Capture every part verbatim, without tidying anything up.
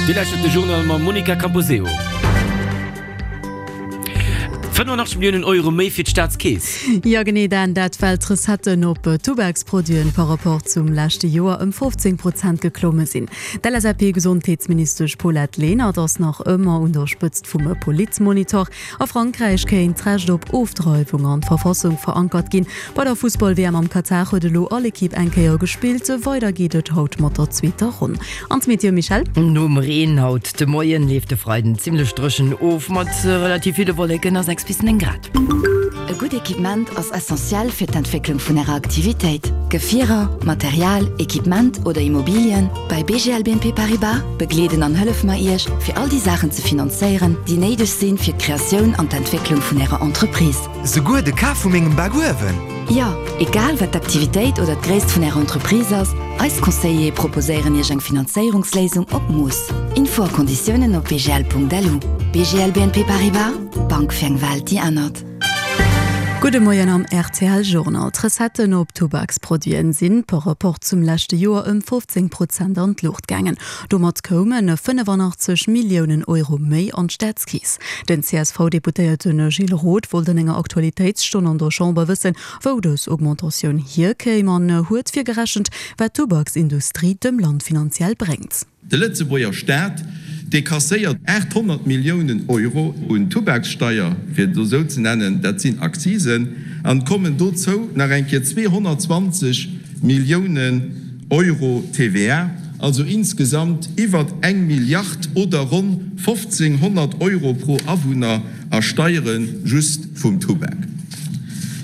Dir lauschtert de Journal mam Monica Camposeo. fënnefenachtzeg Milliounen Euro méi fir d'Staatskeess. Jo genee Dan, dat well d'Recetten op Tubaksproduiten par rapport zum leschte Joer ëm fofzéng Prozent geklomme sinn. D'LSAP-Gesondheetsministesch Paulette Lenert ass nach ëmmer un der Spëtzt vum Politmonitor. A Frankräich kéint d'Recht op Ofdreiwung an d'Verfassung verankert ginn. Bei der Fussball-W M am Katar huet elo all Ekipp eng Kéier gespillt. Weider geet et haut mat der zweeter Ronn. An d'Meteo, Michèle? Nom Reen haut de Moien leeft de Freiden zimmlech dréchen of mat relativ ville Wolleken a sechs bis néng Grad. E gutt Equipement ass essentiell fir d'Entwécklung vun Ärer Aktivitéit. Gefierer, Material, Equipement oder Immobilien, bei B G L B N P Paribas begleeden an hëllefe mer Iech, fir all déi Saachen ze finanzéieren, déi néideg sinn fir d'Kreatioun an d'Entwécklung vun Ärer Entreprise. Souguer de Kaf vu mengem Bakuewen? Jo, egal wat d'Aktivitéit oder d'Gréisst vun Ärer Entreprise ass, eis Conseillere proposéieren Iech eng Finanzéierungsléisung op Mooss. Info a Konditiounen op b g l punkt l u. B G L B N P Paribas, Bank fir eng Welt déi ännert. Gudde Moien am R T L Journal. D'Recetten op Tubaksproduiten sinn par rapport zum leschte Joer ëm fofzéng Prozent an d'Luucht gaangen. Domat koumen fënnefenachtzeg Milliounen Euro méi an d'Staatskeess. Den C S V-Deputéierte Gilles Roth wollt an enger Aktualitéitsstonn an der Chamber wëssen, wou dës Augmentatioun hierkéim an huet virgerechent, wat d'Tubaksindustrie dem Land finanziell bréngt. De Lëtzebuerger Staat, dee kasséiert aathonnert Milliounen Euro un Tubakssteier, fir et esou ze nennen, dat sinn Akzisen, an et kommen dozou nach eng Kéier zweehonnertzwanzeg Milliounen Euro T V A, also insgesamt iwwert eng Milliard oder ronn fofzénghonnert Euro pro Awunner a Steiere just vum Tubak.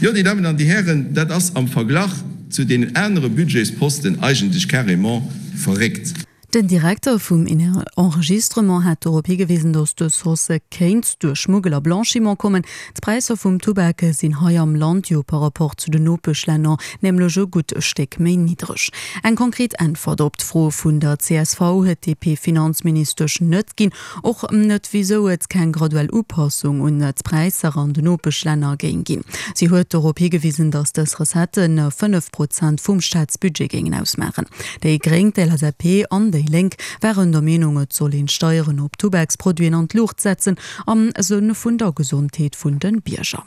Jo, Dir Dammen an Dir Hären, dat ass am Verglach zu deenen anere Budgetsposten eigentlech carrément verréckt. Den Direkter vum Enregistrement hat dorop higewisen, datt dës Hausse kéint duerch Schmuggel a Blanchiment kommen. D'Präisser vum Tubak sinn hei am Land jo par rapport zu den Nopeschlänner nämlech e gutt Stéck méi niddreg. Eng konkret Äntwert op d'Fro vun der C S V huet d'D P-Finanzministesch net ginn, och net wisou et keng graduell Upassung un d'Präisser an den Nopeschlänner géing ginn. Si huet dorop higewisen, datt dës Recettë fënnef Prozent vum Staatsbudget géingen ausmaachen. Déi Gréng, d'L S A P an déi Lénk waren der Meenung, et soll een d'Steieren op Tubaksproduiten an d'Luucht setzen, am Sënn vun der Gesondheet vun de Bierger.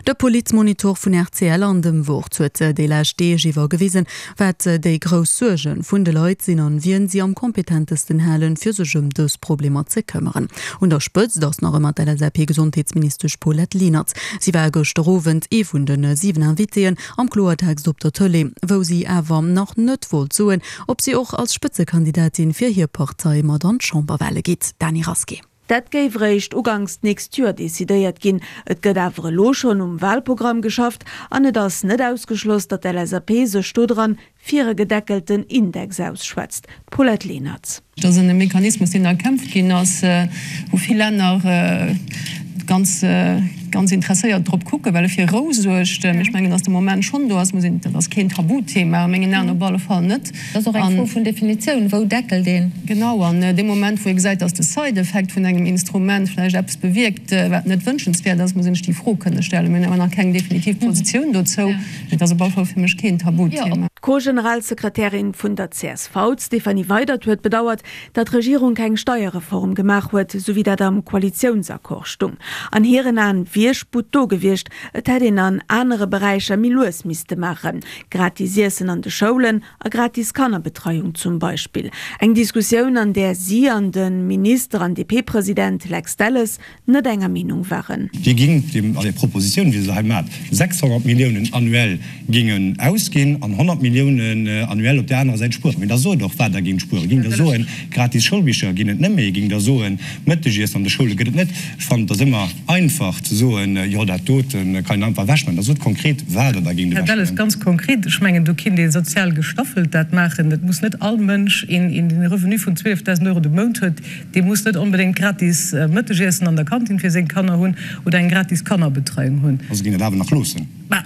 De Politmonitor vun R T L an dem Wort huet déi lescht Deeg iwwer gewisen, wat déi grouss Suerge vun de Leit sinn an wien si am kompetentesten halen, fir sech ëm dës Problemer ze këmmeren. Un der Spëtzt ass nach ëmmer d'L S A P-Gesondheetsministesch Paulette Lenert. Si war gëschter Owend ee vun de siwen Invitéen am Kloertext op der Tëlee, wou si awer nach net wollt soen, ob si och als Spëtzekandidatin fir hir Partei mat an d'Chamberwale geet. Dany Rasqué. Dat géif réischt uganks d'nächst Joer decidéiert ginn. Et gëtt awer elo schonn um Walprogramm geschafft an et ass net ausgeschloss, datt d'L S A P sech dodran fir e gedeckelten Index ausschwätzt. Paulette Lenert. Dat ass e Mechanismus, deen erkämpft ginn ass, wou vill Länner ganz ganz interesséiert drop kucken, well e fir Rou suergt. Ech mengen, datt de Moment schonn do ass, muss een, dat ass keen Tabuthema a mengen Aen op alle Fall net. Dat ass och eng Fro vun Definitioun, wou deckelt een? Genau, an dee Moment, wou ee gesäit, datt de Side-Effekt vun engem Instrument vläicht eppes bewierkt, wat net wënschenswäert ass, muss een sech déi Fro kënne stellen. Mir hunn awer nach keng definitiv Positioun dozou, mee et ass op alle Fall fir mech keen Tabuthema. D'Co-Generalsekretärin vun der C S V, d'Stéphanie Weydert, huet bedauert, datt d'Regierung keng Steierreform gemaach huet, sou wéi dat am Koalitiounsaccord stung. An hiren Aen wier Sputt do gewiescht, et hätt een an anere Beräicher méi lues misste maachen, gratis Iessen an de Schoulen a gratis Kannerbetreiung zum Beispill. Eng Diskussioun, an där si an de Minister an D P-President Lex Delles net enger Meenung waren. Dir gingt dem, an der Propositioun, wéi se hei mat sechshonnert Milliounen annuell gingen ausginn an honnert Milliounen annuell op där anerer Säit spueren. Mee da sot och, wat Der gingt spueren. Gingt Der soen, gratis Schoulbicher ginn et net méi? Gingt Der soen, Mëttegiessen an de Schoule gëtt et net? Ech fannen, et ass ëmmer einfach ze soen, jo, dat dote kann een einfach ewechmaachen. Da sot konkret, wat Der da gingt Här Delles, ewechmaachen. ganz konkret, ech mengen, do kinnt ee sozial gestaffelt dat maachen. Et muss net all Mënsch, een, een deen e Revenu vun zwielefdausend Euro de Mount huet, dee muss net onbedéngt gratis Mëttegiessen an der Kantin fir seng Kanner hunn oder eng gratis Kannerbetreiung hunn. Also géing dat awer nach loossen? Mä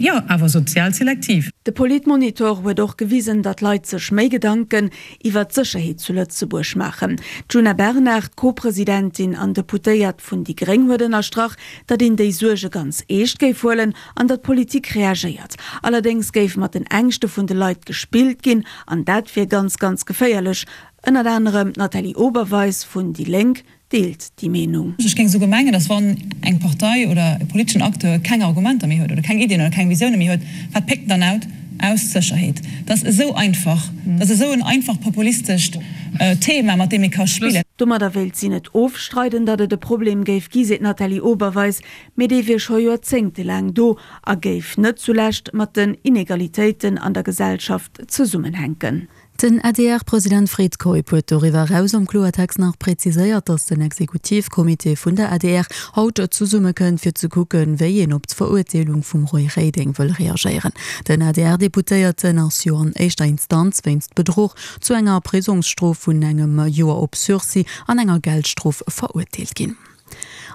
jo, awer sozial selektiv. De Politmonitor huet och gewisen, datt Leit sech méi Gedanken iwwer d'Sécherheet zu Lëtzebuerg maachen. D'Djuna Bernard, Co-Presidentin an Deputéiert vun déi Gréng, huet ënnerstrach, datt een déi Suerge ganz eescht géif huelen an datt d'Politik reagéiert. Allerdéngs géif mat den Ängschte vun de Leit gespillt ginn an dat wier ganz, ganz geféierlech. Ënnert anerem d'Nathalie Oberweis vun déi Lénk deelt déi Meenung. Ech géing esouguer mengen, datt wann eng Partei oder e politeschen Acteur keng Argumenter méi huet oder keng Iddien oder keng Visioune méi huet, wat péckt en dann out? Aus d'Sécherheet. Dat ass esou einfach. Dat ass esou en einfacht populistescht Thema, mat deem ee ka spillen. Domadder wéilt si net ofstreiden, datt et e Problem géif gi, seet d'Nathalie Oberweis, mee dee wier scho joerzéngtelaang do a géif net zulescht mat den Inegalitéiten an der Gesellschaft zesummenhänken. Den A D R-President Fred Keup huet doriwwer eraus am Kloertext nach präziséiert, datt den Exekutivcomité vun der A D R haut zesummekënnt, fir ze kucken, wéi een op d'Verurteelung vum Roy Reding wëll reagéieren. Den A D R-Deputéierten ass jo an éischter Instanz wéinst Bedruch zu enger Prisongsstrof vun engem Joer op Sursis an enger Geldstrof verurteelt ginn.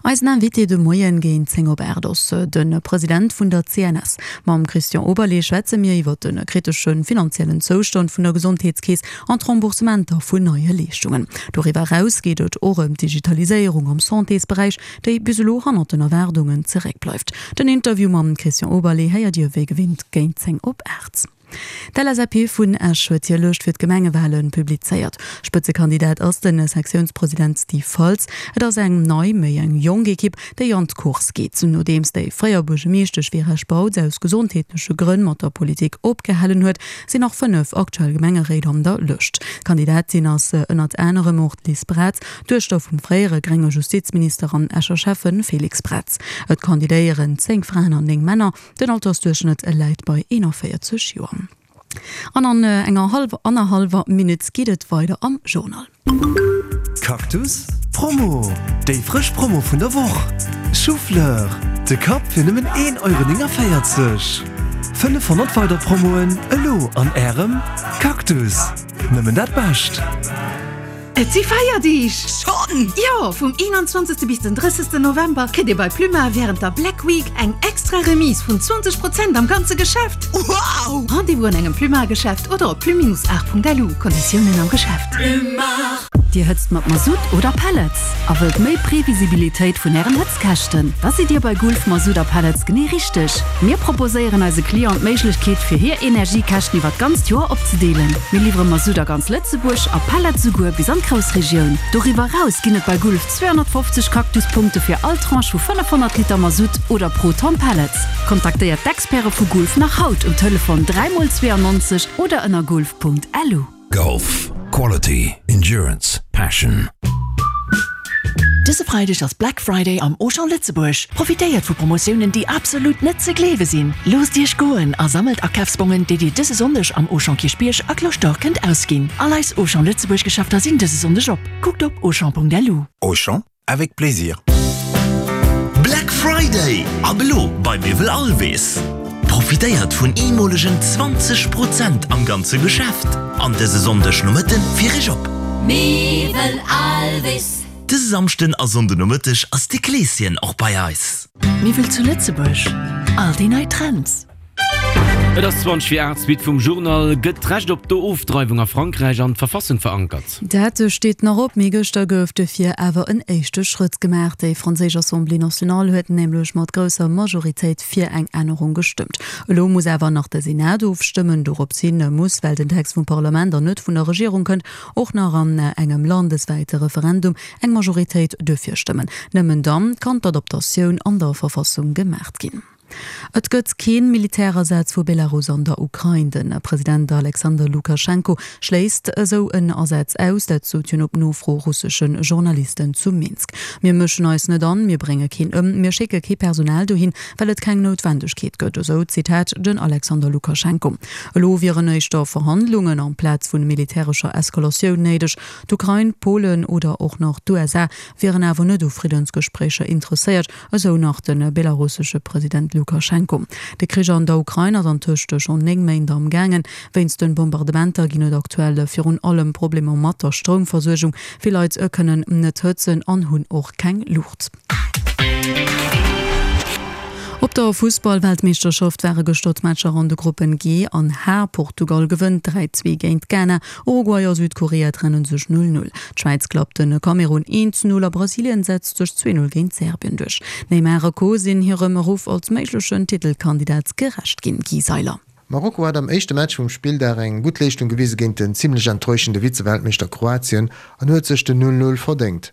Eisen Invité de Moien géint zéng op aacht ass de President vun der C N S. Mam Christian Oberlé schwätze mir iwwer de kritesche finanziellen Zoustand vun der Gesondheetskeess an d'Remboursementer vun neie Leeschtungen. Doriwwer eraus geet et och ëm d'Digitaliséierung am Santésberäich, déi bis elo hannert den Erwaardungen zeréckbleift. Den Interview mam Christian Oberlé héiert Dir wéi gewinnt géint zéng op aacht. D'L S A P vun Esch huet hir Lëscht fir d'Gemengewale publizéiert. Spëtzekandidat ass de Sektiounspresident Steve Faltz. Et ass eng nei, méi eng jonk Ekipp, déi an d'Course geet. Nodeems déi fréier Buergermeeschtesch Vera Spautz aus gesondheetleche Grënn mat der Politik opgehalen huet, sinn nach fënnef aktuell Gemengeréit an der Lëscht. Kandidatin ass ënnert anerem och d'Liz Braz, Duechter vum fréiere grénge Justizminister an Escher Schäffe Félix Braz. Et kandidéieren zéng Fraen an néng Männer, den Altersduerchschnëtt läit bei eenanvéierzeg Joer. An an enger hallwer, annerhallwer Minutt geet et weider am Journal. Cactus Promo, Déi frësch Promo vun der Woch! Choufleur, de Kapp fir nëmmen een Euro néngavéierzeg. fënnefhonnert weider Promoen elo an Ärem Cactus! Nëmmen dat Bescht! Et si Feierdeeg! Schonn? Jo! Vum eenanzwanzegste bis den drëssegsten November kritt Dir bei Plumar wärend der Black Week eng extra Remise vun zwanzeg Prozent am ganze Geschäft! Wow! Rendez-vous an engem Plumar-Geschäft oder op plu-art.lu. Konditiounen am Geschäft. Plumar! Dir hëtzt mat Masutt oder Pellets a wëllt méi Previsibilitéit vun Ären Hëtzkäschten? Da sidd Dir bei Gulf Masutt a Pellets genee richteg. Mir proposéieren eise Clienten d'Méiglechkeet, fir hir Energiekäschten iwwer d'ganzt Joer opzedeelen. Mir liwwere Masutt a ganz Lëtzebuerg a Pellets souguer bis an d'Groussregioun. Doriwwer eraus ginn et bei Gulf zweehonnertfofzeg Cactus-Punkte fir all Tranche vu fënnefhonnert Liter Masutt oder pro Tonn Pellets. Kontaktéiert d'Experte vu Gulf nach haut um Telefon dräi mol zweeannonzeg oder ënner gulf Punkt lu. Golf. Quality. Endurance. Passion. Dëse Freideg ass Black Friday am Auchan Lëtzebuerg. Profitéiert vu Promotiounen, déi absolut net ze gleewe sinn. Loosst Iech goen a sammelt Akafsbongen, déi Dir dëse Sonndeg am Auchan Kierchbierg a Cloche d'Or kënnt ausginn. All eis Auchan Lëtzebuerg Geschäfter sinn dëse Sonndeg op. Kuckt op auchan Punkt lu. Auchan, avec plaisir. Black Friday ab elo bei Miwwel Alwis. Profitéiert vun eemolegen zwanzeg Prozent am ganze Geschäft an dëse Sonndeg Nomëtte fir iech op. Miwwel Alwis. Dëse Samschden a Sonnde Nomëtteg ass de Kleeschen och bei eis. Miwwel zu Lëtzebuerg, all déi nei Trends. Et ass zwanzeg vir aacht, Suite vum Journal, Gëtt d'Recht op d'Ofdreiwung a Frankräich an d'Verfassung verankert? Dat steet nach op, mee gëschter gouf dofir awer en éischte Schrëtt gemaach. Déi franséisch Assemblée nationale huet nämlech mat grousser Majoritéit fir eng Ännerung gestëmmt. Elo muss awer nach de Senat ofstëmmen. Dorops hin muss, well den Text vum Parlament an net vun der Regierung kënnt, och nach an engem landeswäite Referendum eng Majoritéit dofir stëmmen. Nëmmen dann kann d'Adaptatioun an der Verfassung gemaach ginn. Et gëtt keen Militärasaz vu Belarus an der Ukrain. Den President Alexander Lukaschenko schléisst esou en Asaz aus, dat sot hien op Nofro russesche Journalisten zu Minsk. Mir mëschen eis net an, mir brénge keen ëm, mir schécke kee Personal dohin, well et keng Noutwendegkeet gëtt, esou Zitat den Alexander Lukaschenko. Elo wieren éischter Verhandlungen amplaz vun militärescher Eskalatioun néideg. D'Ukrain, Polen oder och nach d'U S A wieren awer net u Friddensgespréicher interesséiert, esou nach de belarussesche President Lukaschenko. De Krich an der Ukrain ass antëscht schonn néng Méint am gaangen. Wéinst den Bombardementer ginn et aktuell virun allem Problemer mat der Stroumversuergung. Vill Leit kënnen net hëtzen an hunn och keng Luucht. Op der Fussball-Weltmeeschterschaft ware gëschter d'Matcher an de Gruppen G an H. Portugal gewënnt dräi zwee géint Ghana, Uruguay a Südkorea trenne sech null null. D'Schwäiz klappt de Kamerun een zu null a Brasilien setzt sech zwee null géint Serbien duerch. Neymar a Co sinn hirem Ruff als méiglechen Titelkandidat gerecht ginn. Guy Seiler. Marokko hat am éischte Match vum Spilldag eng gutt Leeschtung gewise géint den zimmlech enttäuschende Vize-Weltmeeschter Kroatien an huet sech den Null Null verdéngt.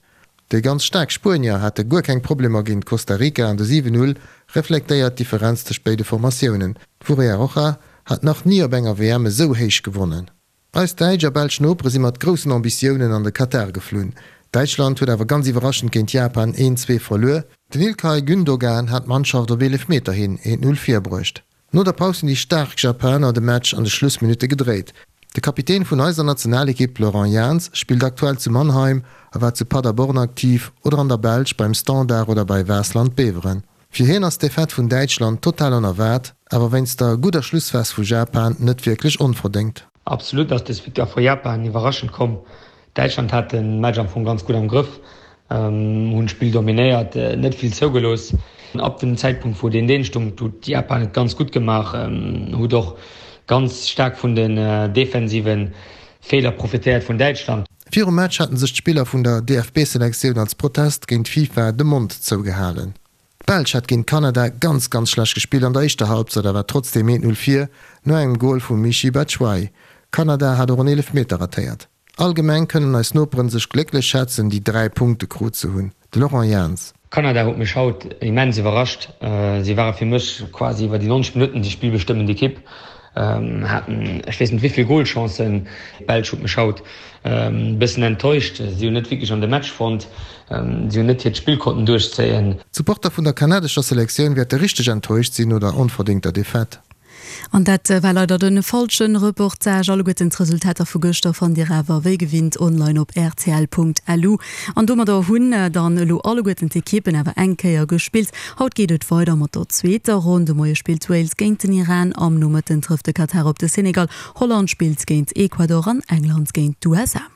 Déi ganz staark Spuenier hate guer keng Problemer géint Costa Rica an de siwen Null reflektéiert d'Differenz tëscht béide Formatiounen. D'Furia Roja hat nach ni op enger W M esou héich gewonnen. Eis däitsch a belsch Nopere si mat groussen Ambitiounen an de Katar geflunn. Däitschland huet awer ganz iwwerraschend géint Japan een zwee verluer. Den Ilkay Gündogan hat d'Mannschaft op Eelefmeter hin eent Null virbruecht. No der Paus hunn déi staark Japaner de Match an de Schlussminutte gedréit. De Kapitän vun eiser Nationalekipp Laurent Jans spillt aktuell zu Mannheim a war zu Paderborn aktiv oder an der Belsch beim Standard oder bei Waasland Beveren. Fir hien ass d'Defaite vun Däitschland total onerwaart, awer wéinst der gudder Schlussphas vu Japan net wierklech onverdéngt. Absolut ass dës Victoire vu Japan iwwerraschend komm. Däitschland hat de Match am Fong ganz gutt am Grëff, hunn d'Spill dominéiert, net vill zougelooss. Ab dem Zäitpunkt wou deen Deen stung, huet Japan et ganz gutt gemaach, huet och ganz staark vun den defensive Feeler profitéiert vun Däitschland. Virum Match haten sech d'Spiller vun der D F B-Selektioun als Protest géint d'FIFA de Mond zougehalen. D'Belsch hat géint Kanada ganz, ganz schlecht gespillt an der éischter Halbzeit a war trotzdeem eent Null vir, no engem Gol vum Michy Batshuayi. Kanada hat och en Eelefmeter ratéiert. Allgemeng kënnen eis Noperen sech glécklech schätzen, déi dräi Punkte krut ze hunn. De Laurent Jans. Kanada huet mech haut immens iwwerrascht. Si ware fir mech quasi iwwer déi neunzeg Minutten déi spillbestëmmend Ekipp, haten ech weess net wéi vill Golchancen. D'Belsch huet mech haut e bëssen enttäuscht. Si hunn net wierklech an de Match fonnt, si hunn net hiert Spill konnten duerchzéien. D'Supporter vun der kanadescher Selektioun wäerte richteg enttäuscht sinn no der onverdéngter Defaite. An dat war leider den falschen Reportage. Alleguerten d'Resultater vu gëschter fannt Dir awer wéi gewinnt online op R T L Punkt L U. An domadder hunn dann elo alleguerten d'Ekippen awer eng Kéier gespillt. Haut geet et weider mat der zweeter Ronn. De Moie spillt Wales géint den Iran, am Nomëtten trëfft de Katar op de Senegal. Holland spillt géint Ecuador an England géint d'U S A.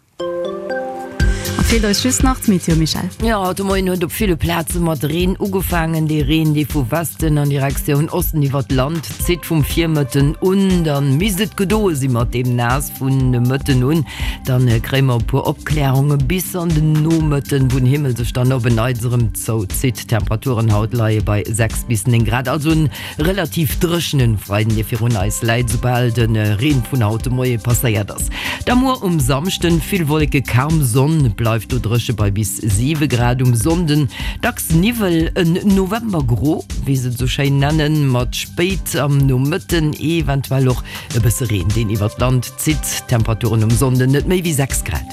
Feelt eis just nach d'Meteo, Michèle. Jo, haut de Moien huet op ville Plaze mat Reen ugefaangen. Dee Reen, dee vu Westen an Direktioun Osten iwwer d'Land zitt vum Virmëtten un. Dann misst et gedoe si mat deem Naass vun de Mëtten un. Dann kréie mer e puer Opklärunge bis an den Nomëtten, wou den Himmel sech dann op en Neits erëm zouzitt. D'Temperaturen haut leie bei sechs bis néng Grad. Also en relativ dréchenen Freiden, dee virun eis läit, soubal de Reen vun haut de Moie passéiert ass. Da muer um Samschden vill Wolleke, kaum Sonn, bleift do dréche bei bis siwe Grad. Um Sonnden dacks Niwwel, en Novembergro, wéi se et sou schéin nennen, mat spéit am Nomëtten eventuell och e bësse Reen, deen iwwer d'Land zitt. Temperaturen um Sonnden net méi wéi sechs Grad.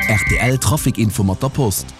R T L Traficinfo mat der Post.